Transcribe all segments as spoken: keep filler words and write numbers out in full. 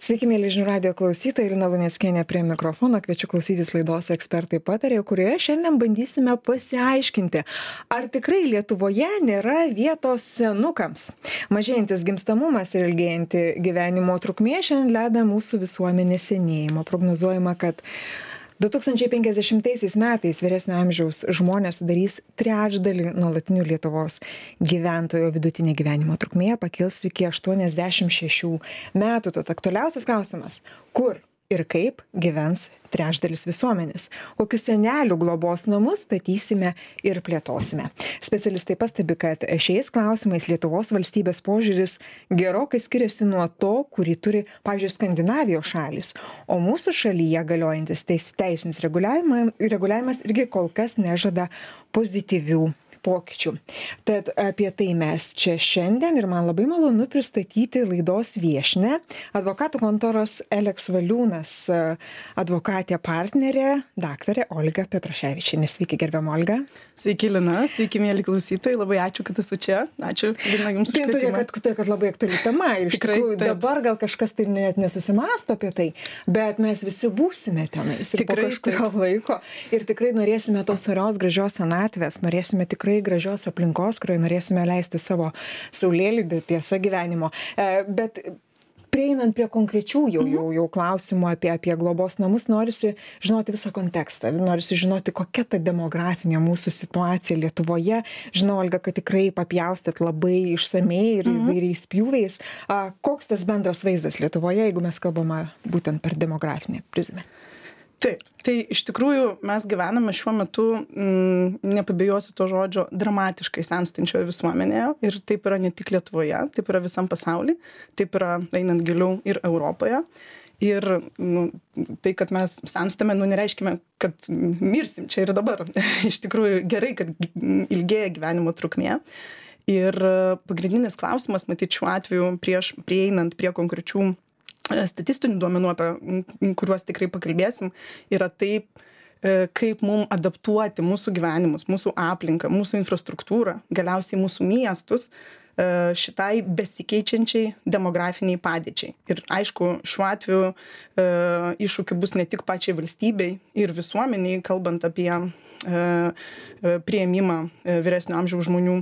Sveiki, mėly žinių radijo klausytojai, Lina Luneckienė prie mikrofono, kviečiu klausytis laidos Ekspertai patarė, kurioje šiandien bandysime pasiaiškinti, ar tikrai Lietuvoje nėra vietos senukams. Mažėjantis gimstamumas ir ilgėjanti gyvenimo trukmė šiandien lemia mūsų visuomenės senėjimo. Prognozuojama, kad du tūkstančiai penkiasdešimtaisiais metais vyresnio amžiaus žmonės sudarys trečdalį nuolatinių Lietuvos gyventojų, vidutinė gyvenimo trukmė pakils iki aštuoniasdešimt šešių metų. Tad aktualiausias klausimas, kur ir kaip gyvens trečdalis visuomenės, kokius senelių globos namus statysime ir plėtosime. Specialistai pastebi, kad šiais klausimais Lietuvos valstybės požiūris gerokai skiriasi nuo to, kurį turi, pavyzdžiui, Skandinavijos šalys, o mūsų šalyje galiojantis teis, teisinis reguliavimas, reguliavimas irgi kol kas nežada pozityvių pokyčių. Tad apie tai mes čia šiandien ir man labai malonu pristatyti laidos viešnią, advokatų kontoros Eleks Valiūnas advokatė partnerė, daktarė Olga Petraševičienė. Sveiki, gerbiama Olga. Sveiki, Lina, sveiki, mėly klausytojai, labai ačiū, kad esu čia. Ačiū, Lina, jums už kvietimą. Tai, kad, kad labai aktuali tema ir iš tikrųjų dabar gal kažkas tai net nesusimąsto apie tai, bet mes visi būsime tenais ir tikrai, po kažkurio laiko ir tikrai norėsime tos orios gražios senatvės, norėsime tikrai gražios aplinkos, kurioje norėsime leisti savo saulėlydį, tiesa, gyvenimo. Bet prieinant prie konkrečių jau, jau, jau klausimų apie, apie globos namus, norisi žinoti visą kontekstą, norisi žinoti, kokia ta demografinė mūsų situacija Lietuvoje. Žinau, Olga, kad tikrai papjaustėt labai išsamei ir įvairiais pjūviais. Koks tas bendras vaizdas Lietuvoje, jeigu mes kalbame būtent per demografinę prizmę? Taip, tai iš tikrųjų mes gyvename šiuo metu, m, nepabijosiu to žodžio, dramatiškai senstančioje visuomenėje ir taip yra ne tik Lietuvoje, taip yra visam pasaulyje, taip yra einant giliau ir Europoje. Ir nu, tai, kad mes senstame, nu, nereiškime, kad mirsim čia ir dabar. Iš tikrųjų gerai, kad ilgėja gyvenimo trukmė. Ir pagrindinis klausimas, matyt, šiuo atveju prieš prieinant prie konkrečių statistinių duomenų, apie kuriuos tikrai pakalbėsim, yra taip, kaip mums adaptuoti mūsų gyvenimus, mūsų aplinką, mūsų infrastruktūrą, galiausiai mūsų miestus šitai besikeičiančiai demografiniai padėčiai. Ir aišku, šiuo atveju iššūkių bus ne tik pačiai valstybei ir visuomeniai, kalbant apie priėmimą vyresnio amžiaus žmonių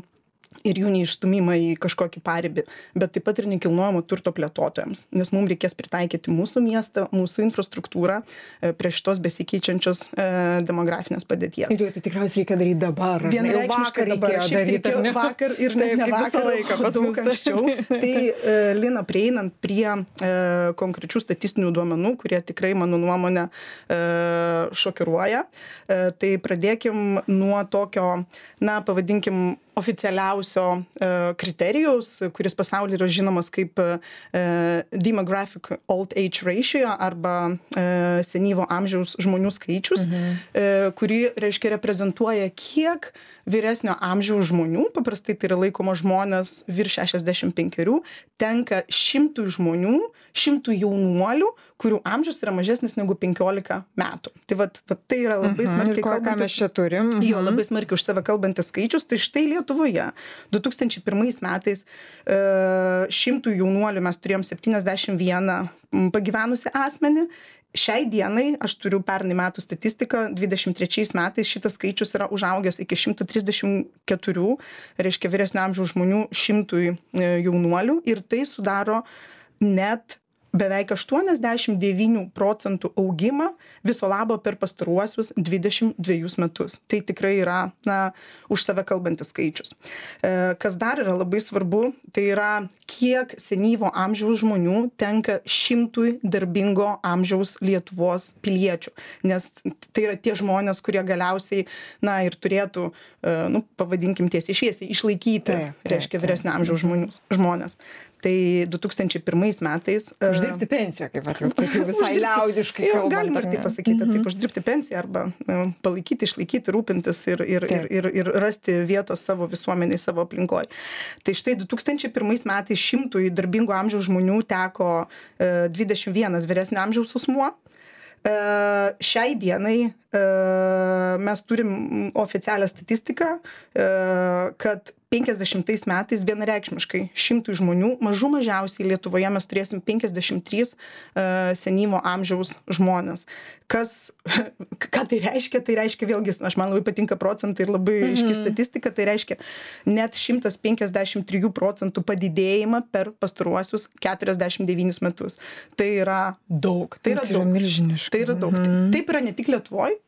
ir jų neišstumimą į kažkokį paribį, bet taip pat ir nekilnojamo turto plėtotojams, nes mums reikės pritaikyti mūsų miestą, mūsų infrastruktūrą prie šitos besikeičiančios e, demografinės padėties. Ir jau tai tikriausiai reikia daryti dabar. Vienareikšmiškai dabar. Šiaip daryti, reikėjo vakar ir ne, ne vakar, laiką, daug anksčiau. Tai, e, Lina, prieinant prie e, konkrečių statistinių duomenų, kurie tikrai, mano nuomonė, e, šokiruoja, e, tai pradėkim nuo tokio, na, pavadinkim, oficialiausio e, kriterijaus, kuris pasaulyje yra žinomas kaip e, demographic old age ratio arba e, senyvo amžiaus žmonių skaičius, mhm. e, kurį, reiškia, reprezentuoja, kiek vyresnio amžiaus žmonių, paprastai tai yra laikoma žmonės virš šešiasdešimt penkerių, tenka šimtui žmonių, šimtui jaunuolių, kurių amžius yra mažesnis negu penkiolika metų. Tai vat, vat tai yra labai mhm. smarkiai kalbantis. Mes čia turim. Mhm. Jo, labai smarkiai už save kalbantis skaičius. Tai štai Lietuvoje du tūkstančiai pirmais metais e, šimtų jaunuolių mes turėjom septyniasdešimt vieną pagyvenusią asmenį. Šiai dienai, aš turiu pernai metų statistiką, dvidešimt trečiais metais šitas skaičius yra užaugęs iki šimto trisdešimt keturių, reiškia vyresnio amžiaus žmonių šimtui jaunuolių ir tai sudaro net beveik aštuoniasdešimt devynių procentų augimą viso labo per pastaruosius dvidešimt dvejus metus. Tai tikrai yra, na, už save kalbantis skaičius. E, kas dar yra labai svarbu, tai yra, kiek senyvo amžiaus žmonių tenka šimtui darbingo amžiaus Lietuvos piliečių. Nes tai yra tie žmonės, kurie galiausiai, na, ir turėtų, e, nu, pavadinkim tiesiai šviesiai, išlaikyti, taip, taip, reiškia, vyresnio amžiaus žmonius, žmonės. Tai du tūkstančiai pirmais metais... Uždirbti pensiją, kaip, at, kaip jau visai uždirbti, liaudiškai kalbant. Galima ir taip pasakyti, mm-hmm. taip, uždirbti pensiją arba palaikyti, išlaikyti, rūpintis ir, ir, ir, ir, ir rasti vietos savo visuomeniai, savo aplinkoje. Tai štai du tūkstančiai pirmais metais šimtui darbingo amžiaus žmonių teko dvidešimt vienas vyresnio amžiaus asmuo. Šiai dienai mes turim oficialią statistiką, kad penkiasdešimtais metais vienareikšmiškai šimtui žmonių, mažų mažiausiai Lietuvoje mes turėsim penkiasdešimt trys uh, senyvo amžiaus žmonės. Kas, ką tai reiškia? Tai reiškia vėlgi, aš man labai patinka procentai ir labai mm-hmm. aiški statistika, tai reiškia net šimtas penkiasdešimt trijų procentų padidėjimą per pastaruosius keturiasdešimt devynis metus. Tai yra daug. Tai yra tai daug. Yra milžiniška. Tai yra daug. Mm-hmm. Taip yra ne tik Lietuvoje,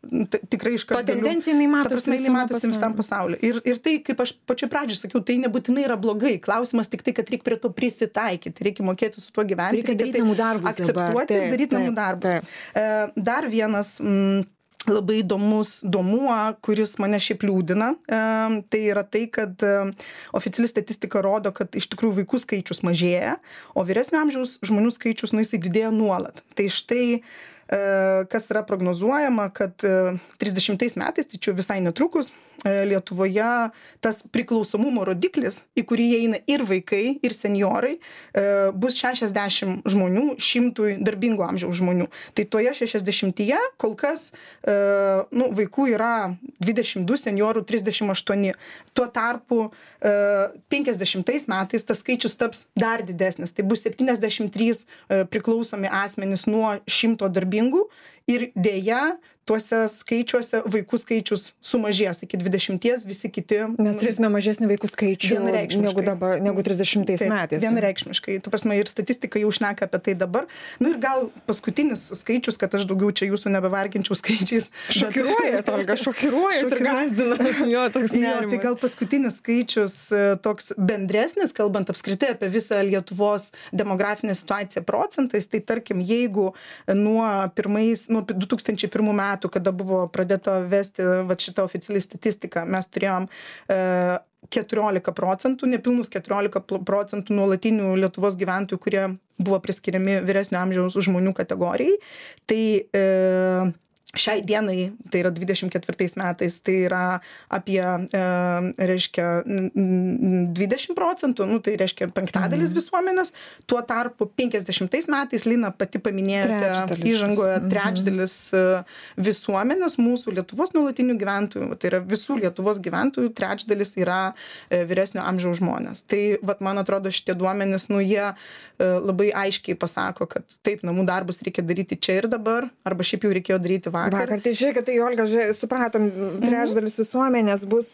tikrai iš karto. Ta tendencija jinai matosi matosi visam pasauliu. Ir, ir tai, kaip aš pačioj pradžioj sakiau, tai nebūtinai yra blogai. Klausimas tik tai, kad reikia prie to prisitaikyti, reikia mokėti su tuo gyventi, reikia daryti namų darbus, akceptuoti taip, ir daryti namų darbus. Taip. Dar vienas mm, labai įdomus domuo, kuris mane šiaip liūdina, tai yra tai, kad oficiali statistika rodo, kad iš tikrųjų vaikų skaičius mažėja, o vyresnio amžiaus žmonių skaičius, nu, jisai didėja nuolat. Tai štai kas yra prognozuojama, kad trisdešimtais metais, tai čia visai netrukus, Lietuvoje tas priklausomumo rodiklis, į kurį įeina ir vaikai, ir senjorai, bus šešiasdešimt žmonių šimtui darbingo amžiaus žmonių. Tai toje šešiasdešimtyje kol kas nu, vaikų yra dvidešimt du, senjorų trisdešimt aštuoni. Tuo tarpu penkiasdešimtais metais tas skaičius taps dar didesnis. Tai bus septyniasdešimt trys priklausomi asmenys nuo šimto darbingų ir dėja tuose skaičiuose vaikų skaičius sumažės iki dvidešimties, visi kiti. Mes turėsime mažesnį vaikų skaičių negu, dabar, negu trisdešimtais metais. Vienareikšmiškai. Tu prasme, ir statistika jau šneka apie tai dabar. Nu ir gal paskutinis skaičius, kad aš daugiau čia jūsų nebevarginčiau skaičiais. Šokiruoja, Olga, šokiruoja ir gąsdina. Jo, toks nerimas. Jo, tai gal paskutinis skaičius toks bendresnis, kalbant apskritai apie visą Lietuvos demografinę situaciją procentais, tai tarkim, jeigu nuo, pirmais, nuo du tūkstančiai pirmų metų, kada buvo pradėta vesti vat šitą oficialią statistiką, mes turėjom e, keturiolika procentų, nepilnus keturiolika procentų nuolatinių Lietuvos gyventojų, kurie buvo priskiriami vyresnio amžiaus žmonių kategorijai. Tai e, šiai dienai, tai yra dvidešimt ketvirtais metais, tai yra apie, e, reiškia, dvidešimt procentų, nu, tai reiškia penktadalis mhm. visuomenės, tuo tarpu penkiasdešimtais metais, Lina pati paminėjote įžangoje, trečdalis mhm. visuomenės mūsų Lietuvos nuolatinių gyventojų, tai yra visų Lietuvos gyventojų, trečdalis yra e, vyresnio amžiaus žmonės. Tai, vat, man atrodo, šitie duomenys, nu, jie e, labai aiškiai pasako, kad taip, namų darbus reikia daryti čia ir dabar, arba šiaip jau reikėjo daryti vakar. Vakar, tai žiūrėk, tai Olga, žiūrėk, supratom, trečdalis visuomenės bus,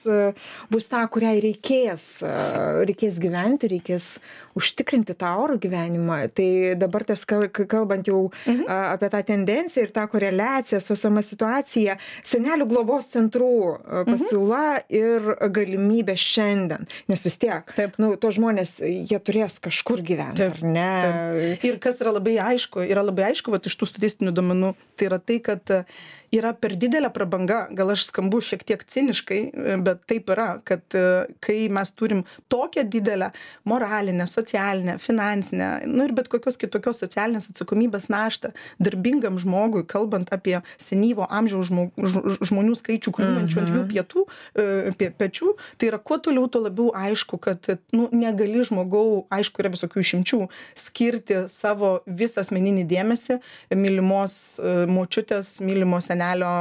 bus ta, kuriai reikės, reikės gyventi, reikės užtikrinti tą orų gyvenimą. Tai dabar tas kalbant jau mhm. apie tą tendenciją ir tą koreliaciją su esama situacija, senelių globos centrų pasiūla mhm. ir galimybė šiandien. Nes vis tiek, Taip. nu, to žmonės, jie turės kažkur gyventi, Taip. ar ne? Taip. Ir kas yra labai aišku, yra labai aišku, vat, iš tų statistinių duomenų, tai yra tai, kad yra per didelė prabanga, gal aš skambu šiek tiek ciniškai, bet taip yra, kad kai mes turim tokią didelę moralinę, socialinę, finansinę, nu ir bet kokios kitokios socialinės atsakomybės naštą darbingam žmogui, kalbant apie senyvo amžiaus žmonių skaičių kliūnančių ant jų pietų, pie, pečių, tai yra kuo toliau, tuo labiau aišku, kad nu, negali žmogau, aišku, yra visokių išimčių, skirti savo visą asmeninį dėmesį mylimos močiutės, mylimos senelio,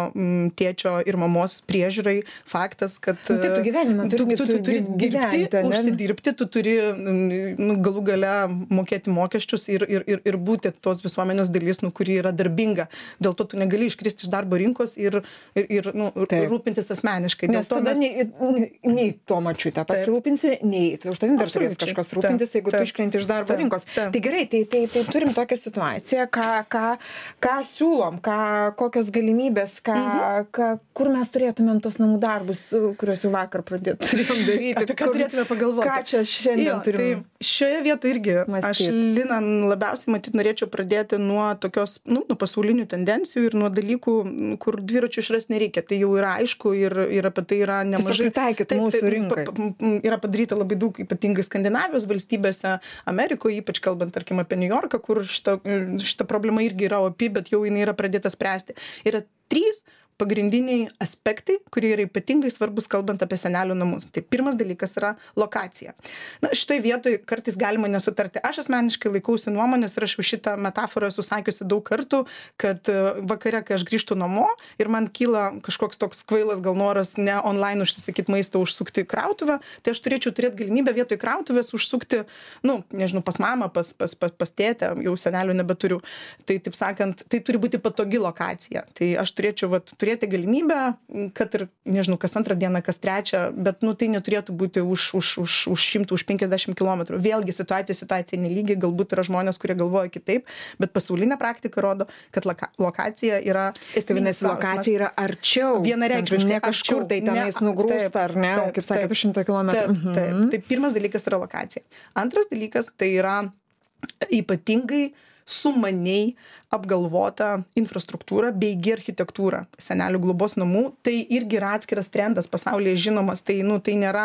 tėčio ir mamos priežiūrai. Faktas, kad nu, tai tu gyvenimą turi, tu, tu, tu turi gyventi, dirbti, užsidirbti, tu turi nu, galų gale mokėti mokesčius ir, ir, ir, ir būti tos visuomenės dalis, nu, kuri yra darbinga. Dėl to tu negali iškristi iš darbo rinkos ir, ir, ir nu, rūpintis asmeniškai. Nes Dėl tada mes... nei, nei to mačiutę pasirūpinsi, nei už tavim dar turės kažkas rūpintis, taip, jeigu taip, tu iškrenti iš darbo taip, rinkos. Taip. Tai gerai, tai, tai, tai turim tokią situaciją, ką, ką, ką siūlom, ką, kokios galimybės, ką, mhm. ką, kur mes turėtumėm tos namų darbus, kuriuos jau vakar pradėt, turėjom daryti. Apie ką turėtume pagalvoti. Ką čia šiandien jo, turim? Tai šioje vietoje irgi mąstyt. Aš, Lina, labiausiai matyt norėčiau pradėti nuo tokios, nu, nuo pasaulinių tendencijų ir nuo dalykų, kur dviračių išras nereikia. Tai jau yra aišku ir, ir apie tai yra nemažai. Pritaikyti mūsų rinkai. Yra padaryta labai daug, ypatingai Skandinavijos valstybėse, Amerikoje, ypač kalbant, tarkim, apie New Yorką, kur šita, šita problema irgi yra opi, bet jau jinai yra pradėta spręsti. Yra trys pagrindiniai aspektai, kurie yra ypatingai svarbus, kalbant apie senelių namus. Tai pirmas dalykas yra lokacija. Na, šitoj vietoj kartais galima nesutarti. Aš asmeniškai laikausi nuomonės ir aš jau šitą metaforą esu sakiusi daug kartų, kad vakare, kai aš grįžtu namo ir man kyla kažkoks toks kvailas gal noras ne online užsisakyti maisto, užsukti krautuvę, tai aš turėčiau turėti galimybę vietoj krautuvės užsukti, nu, nežinau, pas mamą, pas, pas, pas, pas tėtę, jau senelių nebeturiu. Tai, taip sakant, tai turi būti patogi lokacija. Tai aš turėčiau vat, turėti galimybę, kad ir, nežinau, kas antrą dieną, kas trečią, bet, nu, tai neturėtų būti už, už, už, už šimtų, už penkiasdešimt kilometrų. Vėlgi situacija, situacija nelygiai, galbūt yra žmonės, kurie galvoja kitaip, bet pasaulinė praktika rodo, kad loka, lokacija yra esminis klausimas. Lokacija yra arčiau. Vienareikšmiškai. Ne kažkur tai tenais nugrūsta, ar ne, taip, kaip sakėte, šimto kilometrų. Taip, taip, taip. Tai pirmas dalykas yra lokacija. Antras dalykas tai yra ypatingai sumaniai apgalvota infrastruktūra beigi architektūra senelių globos namų. Tai irgi yra atskiras trendas pasaulyje žinomas. Tai, nu, tai nėra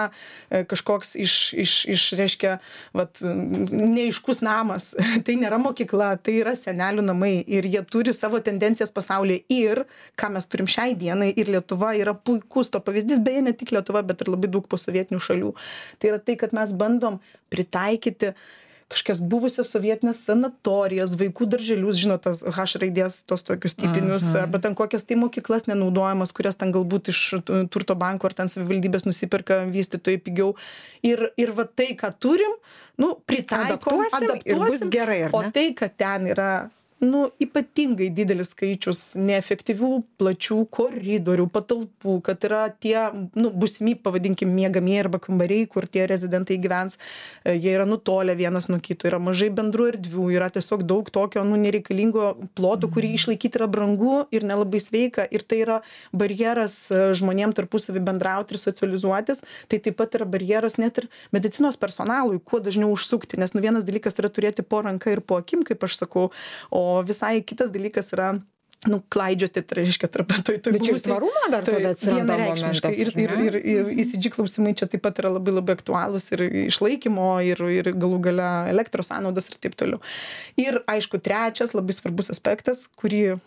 kažkoks iš, iš, iš reiškia, vat, neaiškus namas. Tai nėra mokykla, tai yra senelių namai. Ir jie turi savo tendencijas pasaulyje. Ir, ką mes turim šiai dienai, ir Lietuva yra puikus to pavyzdys, beje, ne tik Lietuva, bet ir labai daug posovietinių šalių. Tai yra tai, kad mes bandom pritaikyti kažkokias buvusias sovietinės sanatorijas, vaikų darželius, žinot, tas H raidės, tos tokius tipinius, arba ten kokias tai mokyklas nenaudojamas, kurias ten galbūt iš turto banko ar ten savivaldybės nusipirka vystytojai pigiau. Ir, ir va tai, ką turim, nu, pritaikom, adaptuosim, adaptuosim ir bus gerai, ar ne? O tai, kad ten yra nu, ypatingai didelis skaičius neefektyvių, plačių koridorių, patalpų, kad yra tie, nu, būsimi, pavadinkim, miegamieji arba kambariai, kur tie rezidentai gyvens, jie yra nutolę vienas nuo kito, yra mažai bendrų erdvių, yra tiesiog daug tokio, nu, nereikalingo ploto, kurį išlaikyti yra brangu ir nelabai sveika, ir tai yra barjeras žmonėm tarpusavį bendrauti ir socializuotis, tai taip pat yra barjeras net ir medicinos personalui, kuo dažniau užsukti, nes nu, vienas dalykas yra turėti po ranka ir po akim, kaip aš sakau, o O visai kitas dalykas yra, nu, klaidžioti, tai reiškia, tarp toj toj bet čia tvarumo dar tada atsiranda momentas. Ir, ir, ir, ir E C G klausimai čia taip pat yra labai labai aktualūs ir išlaikymo, ir, ir galų gale elektros sąnaudos ir taip toliau. Ir aišku, trečias labai svarbus aspektas, kurį,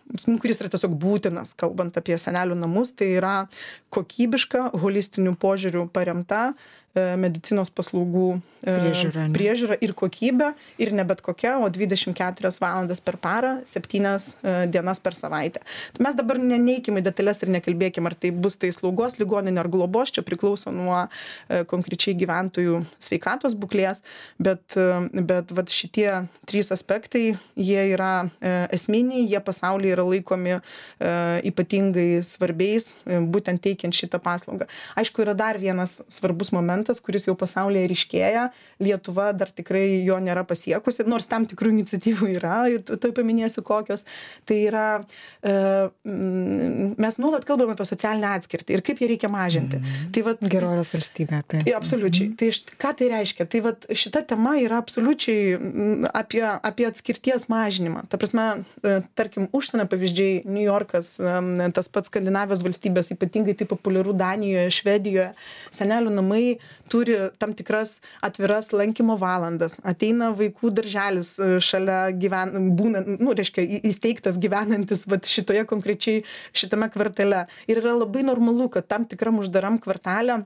kuris yra tiesiog būtinas, kalbant apie senelių namus, tai yra kokybiška, holistinių požiūrių paremta medicinos paslaugų priežiūra, priežiūra ir kokybė, ir ne bet kokia, o dvidešimt keturias valandas per parą, septynias dienas per savaitę. Tai mes dabar neneikime detalės ir nekalbėkime, ar tai bus tai slaugos ligoninė ar globos, čia priklauso nuo konkrečiai gyventojų sveikatos būklės, bet, bet vat, šitie trys aspektai, jie yra esminiai, jie pasaulyje yra laikomi ypatingai svarbiais, būtent teikiant šitą paslaugą. Aišku, yra dar vienas svarbus momentas, kuris jau pasaulyje ryškėja, Lietuva dar tikrai jo nėra pasiekusi, nors tam tikrų iniciatyvų yra, ir tai paminėsiu kokios. Tai yra, e, mes nuolat kalbame apie socialinę atskirtį ir kaip ją reikia mažinti. Mm. Tai vat, gerovės valstybė. Tai. Absoliučiai. Tai ką tai reiškia? Tai vat, šita tema yra absoliučiai apie, apie atskirties mažinimą. Ta prasme, tarkim, užsienio pavyzdžiai, New Yorkas, tas pats Skandinavijos valstybės, ypatingai tai populiaru Danijoje, Švedijoje, senelių namai turi tam tikras atviras lankymo valandas. Ateina vaikų darželis šalia gyven, būna, nu, reiškia, įsteigtas gyvenantis vat, šitoje konkrečiai šitame kvartale. Ir yra labai normalu, kad tam tikram uždaram kvartale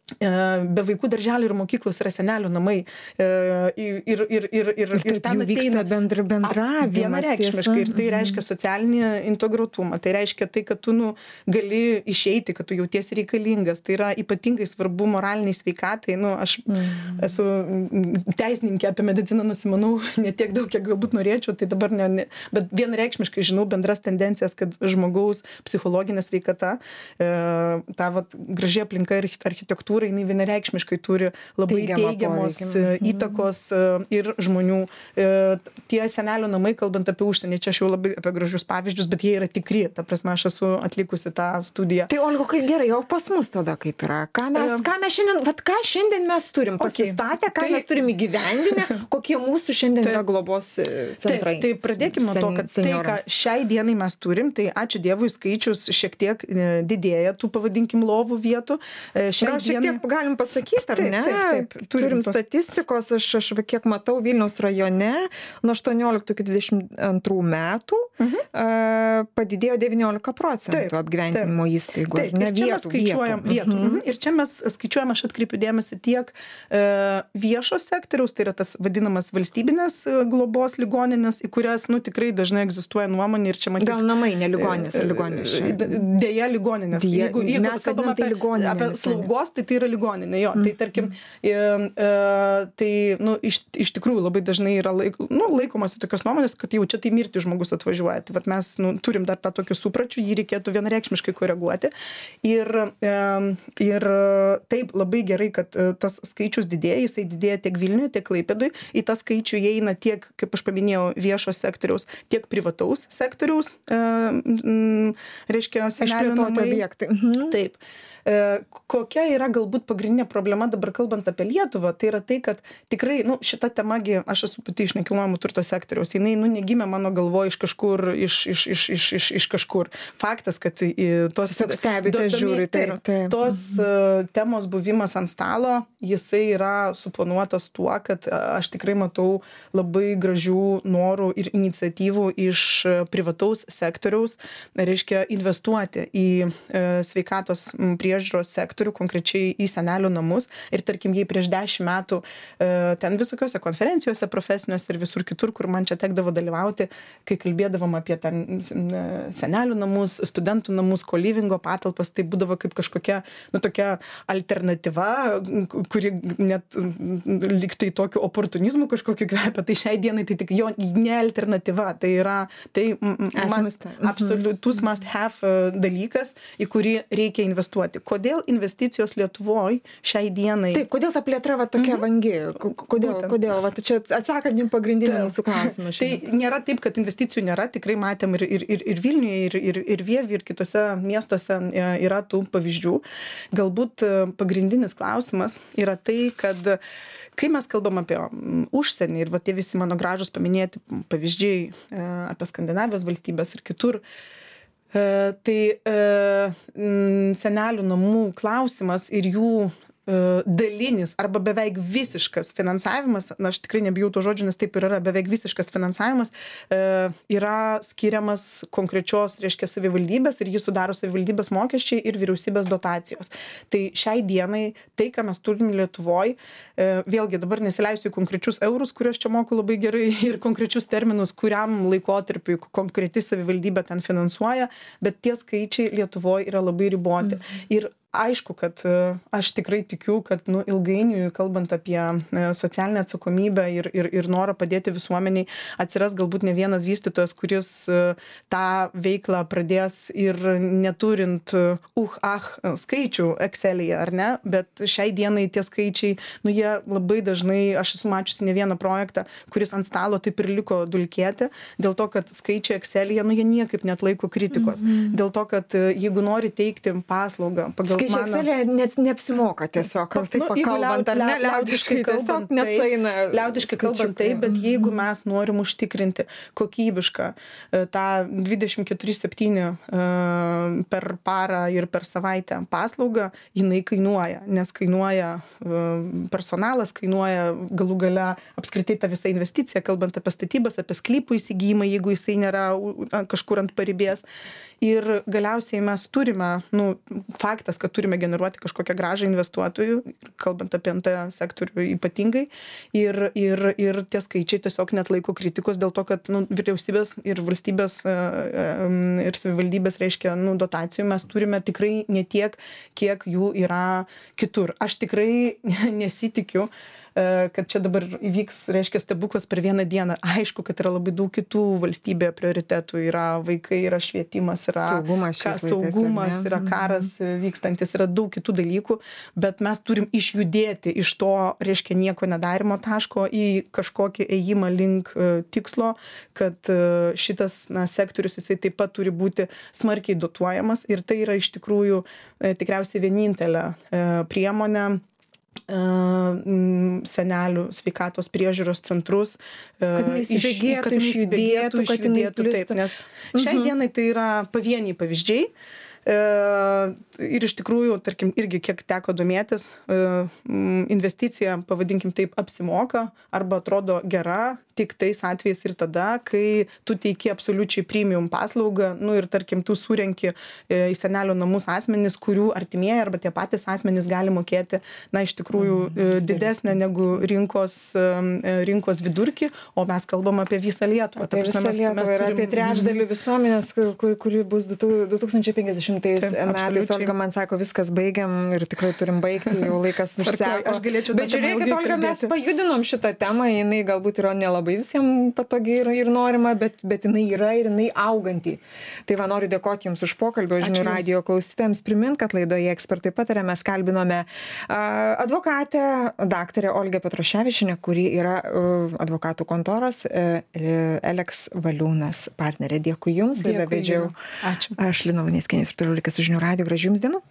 be vaikų darželių ir mokyklos yra senelių namai. Ir, ir, ir, ir, ir, ir ten vyksta bendra bendravimas. Vienareikšmiškai. Ir tai reiškia socialinį integruotumą. Tai reiškia tai, kad tu nu, gali išeiti, kad tu jautiesi reikalingas. Tai yra ypatingai svarbu moraliniai sveikatai. Nu, aš mm. esu teisininkė, apie mediciną nusimanau ne tiek daug, kiek galbūt norėčiau. Tai dabar ne, ne, bet vienareikšmiškai žinau bendras tendencijas, kad žmogaus psichologinė sveikata, e, ta vat, graži aplinka ir architektūra, jinai vienareikšmiškai turi labai Teigiamą teigiamos poveikį. Įtakos ir žmonių. Tie senelių namai, kalbant apie užsienį, čia aš jau labai apie gražius pavyzdžius, bet jie yra tikri. Ta prasme, aš esu atlikusi tą studiją. Tai Olga, kaip gerai, jau pas mus tada kaip yra? Ką mes, um, ką mes šiandien, vat ką šiandien mes turim pasistatę, ką tai, mes turim įgyvendinę, kokie mūsų šiandien tai, yra globos centrai? Tai, tai pradėkime nuo to, kad tai, ką šiai dienai mes turim, tai ačiū Dievui skaičius šiek tiek didėja tų, pavadinkim, lovų vietų. Šiai dienai Kiek galim pasakyti, ar taip, ne? Taip, taip, taip. Turim tos... statistikos, aš, aš kiek matau Vilniaus rajone nuo aštuonioliktų iki dvidešimt antrų metų mhm. padidėjo devyniolika procentų apgyvendinimo įstaigų. Taip, ir čia mes skaičiuojam vietų. vietų. Mhm. Ir čia mes skaičiuojam, aš atkreipiu dėmesį tiek e, viešo sektoriaus, tai yra tas vadinamas valstybinės globos ligoninės, į kurias, nu, tikrai dažnai egzistuoja nuomonė ir čia matyti. Gal namai, ne ligoninės, ligoninės. Dėja ligoninės. Dėja, jeigu jeigu mes kalbam apie, apie slaugos, tai tai yra ligoninė. Jo. Mm. Tai tarkim, e, e, tai, nu, iš, iš tikrųjų labai dažnai yra laik, nu, laikomasi tokios nuomonės, kad jau čia tai mirti žmogus atvažiuoja. Tai vat mes nu, turim dar tą tokį supračių, jį reikėtų vienareikšmiškai koreguoti. Ir, e, ir taip labai gerai, kad tas skaičius didėja, jisai didėja tiek Vilniuje, tiek Klaipėdui. Į tą skaičių įeina tiek, kaip aš paminėjau, viešo sektoriaus, tiek privataus sektoriaus, e, m, reiškia, senelių namai. Mhm. Taip. Kokia yra galbūt pagrindinė problema dabar kalbant apie Lietuvą, tai yra tai, kad tikrai, nu, šita temagi, aš esu pati iš nekilnojamo turto sektoriaus, jinai, nu, negimė mano galvoje iš kažkur, iš, iš, iš, iš, iš, iš kažkur. Faktas, kad tos, stebite, žiūrite, taip, taip. tos uh, temos buvimas ant stalo, jisai yra suponuotas tuo, kad aš tikrai matau labai gražių norų ir iniciatyvų iš privataus sektoriaus, reiškia investuoti į uh, sveikatos priežiūros priežiūros sektorių, konkrečiai į senelių namus. Ir tarkim, jei prieš dešimt metų ten visokiose konferencijose profesiniuose ir visur kitur, kur man čia tekdavo dalyvauti, kai kalbėdavom apie ten senelių namus, studentų namus, kolivingo patalpas, tai būdavo kaip kažkokia, nu, tokia alternatyva, kuri net liktai tokiu oportunizmu kažkokiu kvepia. Tai šiai dienai tai tik jo ne alternatyva. Tai yra tai must, absoliutus must have dalykas, į kurį reikia investuoti. Kodėl investicijos Lietuvoj šiai dienai? Taip, kodėl ta plėtra va tokia mm-hmm. vangi? Kodėl, Būtent. kodėl? Va, čia atsakant jums pagrindinį mūsų klausimą. Tai nėra taip, kad investicijų nėra, tikrai matėm ir, ir, ir, ir Vilniuje, ir, ir, ir Vievy, ir kitose miestuose yra tų pavyzdžių. Galbūt pagrindinis klausimas yra tai, kad kai mes kalbam apie užsienį ir va tie visi mano gražus paminėti pavyzdžiai apie Skandinavijos valstybės ir kitur, tai senelių namų klausimas ir jų dalinis arba beveik visiškas finansavimas, na aš tikrai nebijau to žodžio, nes taip ir yra, beveik visiškas finansavimas yra skiriamas konkrečios, reiškia, savivaldybės ir jį sudaro savivaldybės mokesčiai ir vyriausybės dotacijos. Tai šiai dienai tai, ką mes turim Lietuvoj, vėlgi dabar nesileisiu į konkrečius eurus, kuriuos čia moku labai gerai, ir konkrečius terminus, kuriam laikotarpiui konkreti savivaldybė ten finansuoja, bet tie skaičiai Lietuvoj yra labai riboti. Mm. Ir aišku, kad aš tikrai tikiu, kad nu, ilgainiui, kalbant apie socialinę atsakomybę ir, ir, ir norą padėti visuomeniai, atsiras galbūt ne vienas vystytojas, kuris tą veiklą pradės ir neturint uh, ah skaičių Excel'yje, ar ne? Bet šiai dienai tie skaičiai, nu jie labai dažnai, aš esu mačiusi ne vieną projektą, kuris ant stalo taip ir liko dulkėti, dėl to, kad skaičiai Excel'yje, nu jie niekaip neatlaiko kritikos. Mm-hmm. Dėl to, kad jeigu nori teikti paslaugą pagal skaičiai Excel'yje net neapsimoka tiesiog, taip nu, pakalbant, ar ne, liaudiškai kalbant, nesueina. Liaudiškai kalbant taip, bet jeigu mes norim užtikrinti kokybišką tą dvidešimt keturi septyni per parą ir per savaitę paslaugą, jinai kainuoja, nes kainuoja personalas, kainuoja galų gale apskritai ta visa investicija, kalbant apie statybas, apie sklypų įsigijimą, jeigu jisai nėra kažkur ant paribės. Ir galiausiai mes turime, nu, faktas, kad turime generuoti kažkokią grąžą investuotojų, kalbant apie N T sektorių ypatingai. Ir, ir, ir tie skaičiai tiesiog neatlaiko kritikos dėl to, kad nu, vyriausybės ir valstybės ir savivaldybės, reiškia, nu, dotacijų mes turime tikrai ne tiek, kiek jų yra kitur. Aš tikrai nesitikiu, kad čia dabar įvyks, reiškia, stebuklas per vieną dieną. Aišku, kad yra labai daug kitų valstybėje prioritetų. Yra vaikai, yra švietimas, yra saugumas, ka, saugumas laikais, yra karas vykstantis, yra daug kitų dalykų, bet mes turim išjudėti iš to, reiškia, nieko nedarimo taško į kažkokį ėjimą link tikslo, kad šitas na, sektorius jisai taip pat turi būti smarkiai dotuojamas ir tai yra iš tikrųjų tikriausiai vienintelė priemonė senelių sveikatos priežiūros centrus, kad įsibėgėtų, išjudėtų, išjudėtų, taip, nes šiai dienai tai yra pavieniai pavyzdžiai, Ir iš tikrųjų, tarkim, irgi kiek teko domėtis, investicija, pavadinkim taip, apsimoka arba atrodo gera tik tais atvejais ir tada, kai tu teiki absoliučiai premium paslaugą, nu ir tarkim, tu surenki į senelių namus asmenys, kurių artimieji arba tie patys asmenys gali mokėti, na, iš tikrųjų mm, didesnę negu rinkos, rinkos vidurkį, o mes kalbam apie visą Lietuvą. Apie visą Lietuvą ir turim... apie trečdalį visuomenės, kuri, kuri bus du tūkstančiai penkiasdešimtais metais. Olga man sako, viskas baigiam ir tikrai turim baigti, jau laikas išseko. Aš galėčiau. Bet žiūrėkit, Olga, mes pajudinom šitą temą, jinai galbūt yra nelabai visiems patogi ir, ir norima, bet, bet jinai yra ir jinai auganti. Tai va, noriu dėkoti Jums už pokalbį, žinių radijo klausytojams. Primint, kad laidoje Ekspertai pataria mes kalbinome uh, advokatę, daktarę Olgą Petroševičienę, kuri yra uh, advokatų kontoros uh, Eleks Valiūnas partnerė. Dėkui Jums. Dėkui. Vedžiau. Ačiū. Aš Lina Luneckienė ir toliau likęs su žinių radiju. Gražių Jums dienų.